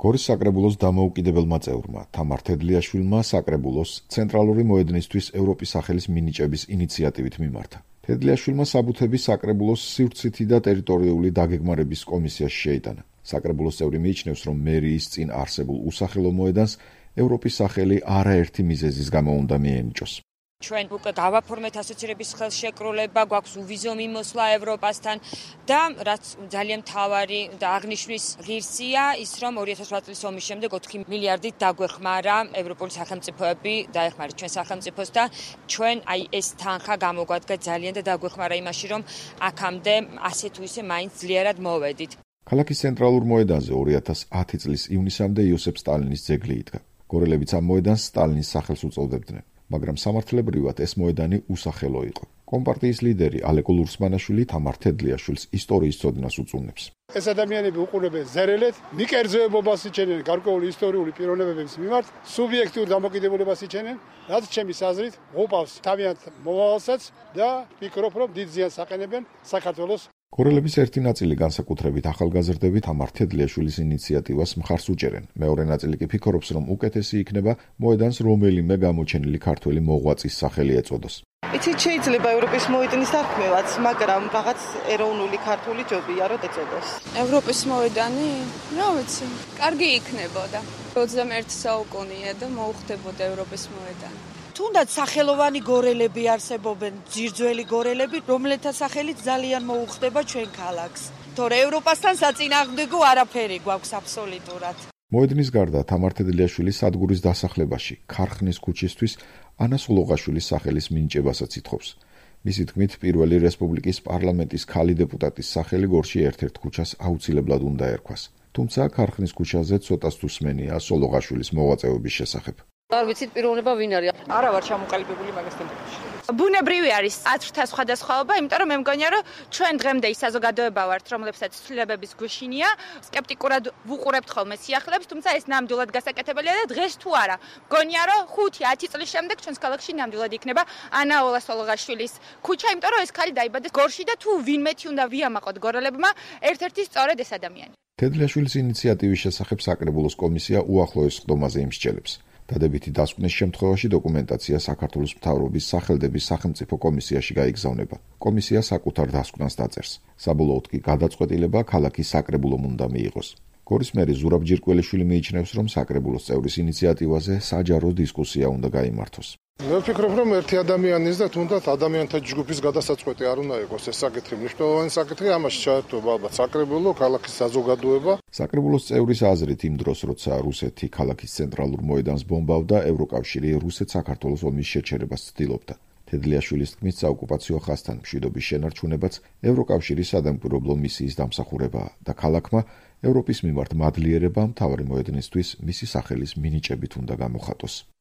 გორის საკრებულოს დამოუკიდებელმა წევრმა თამარ თედლიაშვილმა საკრებულოს ცენტრალური მოედნისთვის ევროპის სახელის მინიჭების ინიციატივით მიმართა. თედლიაშვილმა საბუთები საკრებულოს სივრცითი და ტერიტორიული დაგეგმარების კომისიაში შეიტანა. საკრებულოს წევრი მიიჩნევს, რომ მერიის წინ არსებულ უსახელო მოედანს ევროპის სახელი არაერთი მიზეზის გამო უნდა მიენიჭოს. ჩვენ უკვე გავაფორმეთ ასოცირების ხელშეკრულება, გვაქვს უვიზო მიმოსვლა ევროპასთან და რაც ძალიან მთავარი და აღნიშვნის ღირსია ის, რომ 2008 წლის ომის შემდეგ 4 მილიარდით დაგვეხმარა ევროპული სახელმწიფოები, დაეხმარეთ ჩვენ სახელმწიფოს და ჩვენ ეს თანხა გამოგვადგა ძალიან და დაგვეხმარა იმაში, რომ აქამდე ასე თუ ისე მაინც ძლიერად მოვედით. ქალაქის ცენტრალურ მოედანზე 2010 წლის ივნისამდე იოსებ სტალინის ძეგლი იდგა. გორელებიც ამ მოედანს სტალინის სახელს უწოდებდნენ. მაგრამ სამართლებრივად ეს მოედანი უსახელო იყო. კომპარტიის ლიდერი ალეკო ლურსმანაშვილი თამარ თედლიაშვილს ისტორიის ცოდნას უწუნებს. ეს ადამიანები უყურებენ ზერელეთ, მიკერძოებობას იჩენენ გარკვეული ისტორიული პიროვნებების მიმართ, სუბიექტურ დამოკიდებულებას იჩენენ, რაც ჩემის აზრით უყავს თავიანთ მომავალსაც და ვფიქრობ, რომ დიდ ზიანს აყენებენ საქართველოს. გორელების ერთი ნაწილი განსაკუთრებით ახალგაზრდები თამარ თედლიაშვილის ინიციატივას მხარს უჭერენ. მეორე ნაწილი კი ფიქრობს, რომ უკეთესი იქნება მოედანს რომელიმე გამოჩენილი ქართველი მოღვაწის სახელი ეწოდოს. იცით, შეიძლება ევროპის მოედნის დარქმევაც, მაგრამ რაღაც ეროვნული ქართული ჯობია, რომ ეწოდოს. ევროპის მოედანი? რა ვიცი, კარგი იქნებოდა. 21 საუკუნეა და მოუხდებოდა ევროპის მოედანი. თუნდაც სახელოვანი გორელები არსებობენ, ძირძველი გორელები, რომელთა სახელით ძალიან მოუხდება ჩვენ ქალაქს. თორე ევროპასთან საწინააღმდეგო არაფერი გვაქვს აბსოლუტურად. მოედნის გარდა თამარ თედლიაშვილი სადგურის დასახლებაში ქარხნის ქუჩისთვის ანა სულოღაშვილის სახელის მინიჭებასაც ითხოვს. მისი თქმით, პირველი რესპუბლიკის პარლამენტის ქალი დეპუტატის სახელი გორში ერთ-ერთ ქუჩას აუცილებლად უნდა ერქვას. თუმცა ქარხნის ქუჩაზე ცოტას თუ სმენია სულოღაშვილის მოღვაწეობის შესახებ. არ ვიცით პიროვნება ვინ არის. არა ვარ ჩამოყალიბებული მაგას თემაში. ბუნებრივი არის ათრთა სხვადასხვაობა, იმიტომ რომ მე მგონია, რომ ჩვენ დღემდე ის საზოგადოება ვართ, რომლებსაც ცვლილებების გვეშინია, სკეპტიკურად ვუყურებთ ხოლმე სიახლეებს, თუმცა ეს ნამდვილად გასაკეთებელია და დღეს თუ არა. მგონია, რომ 5-10 წლის შემდეგ ჩვენს ქალაქში ნამდვილად იქნება ანა სულოღაშვილის ქუჩა, იმიტომ რომ ეს ქალი დაიბადა გორში და თუ ვინმეთი უნდა ვიამაყოთ გორელებმა, ერთ-ერთი სწორედ ეს ადამიანი. თედლიაშვილის ინიციატივის შესახებ საკრებულოს კომისია უახლოეს სხდომაზე იმსჯელებს. დადებითი დასკვნის შემთხვევაში დოკუმენტაცია საქართველოს მთავრობის სახელდების სახელმწიფო კომისიაში გაიგზავნება. კომისია საკუთარ დასკვნას დაწერს. საბოლოოდ კი გადაწყვეტილება ქალაქის საკრებულომ უნდა მიიღოს. გორის მერი ზურაბ ჯირკველიშვილი მიიჩნევს, რომ საკრებულოს წევრის ინიციატივაზე საჯარო დისკუსია უნდა გაიმართოს. მე ვფიქრობ, რომ ერთი ადამიანის და თუნდაც ადამიანთა ჯგუფის გადასაწყვეტი არ უნდა იყოს ეს საკითხი. მნიშვნელოვანი საკითხი ამაში ჩაერთვება ალბათ საკრებულო, ქალაქის საზოგადოება. საკრებულოს წევრის აზრით იმ დროს, როცა რუსეთი ქალაქის ცენტრალურ მოედანს ბომბავდა, ევროკავშირი რუსეთ-საქართველოს ომის შეჩერებას ცდილობდა. თედლიაშვილის თქმით, საოკუპაციო ხაზთან მშვიდობის შენარჩუნებაც ევროკავშირის სადამკვირვებლო მისიის დამსახურებაა და ქალაქმა ევროპის მიმართ მადლიერება მთავარი მოედნისთვის მისი სახელის მინიჭებით უნდა გამოხატოს.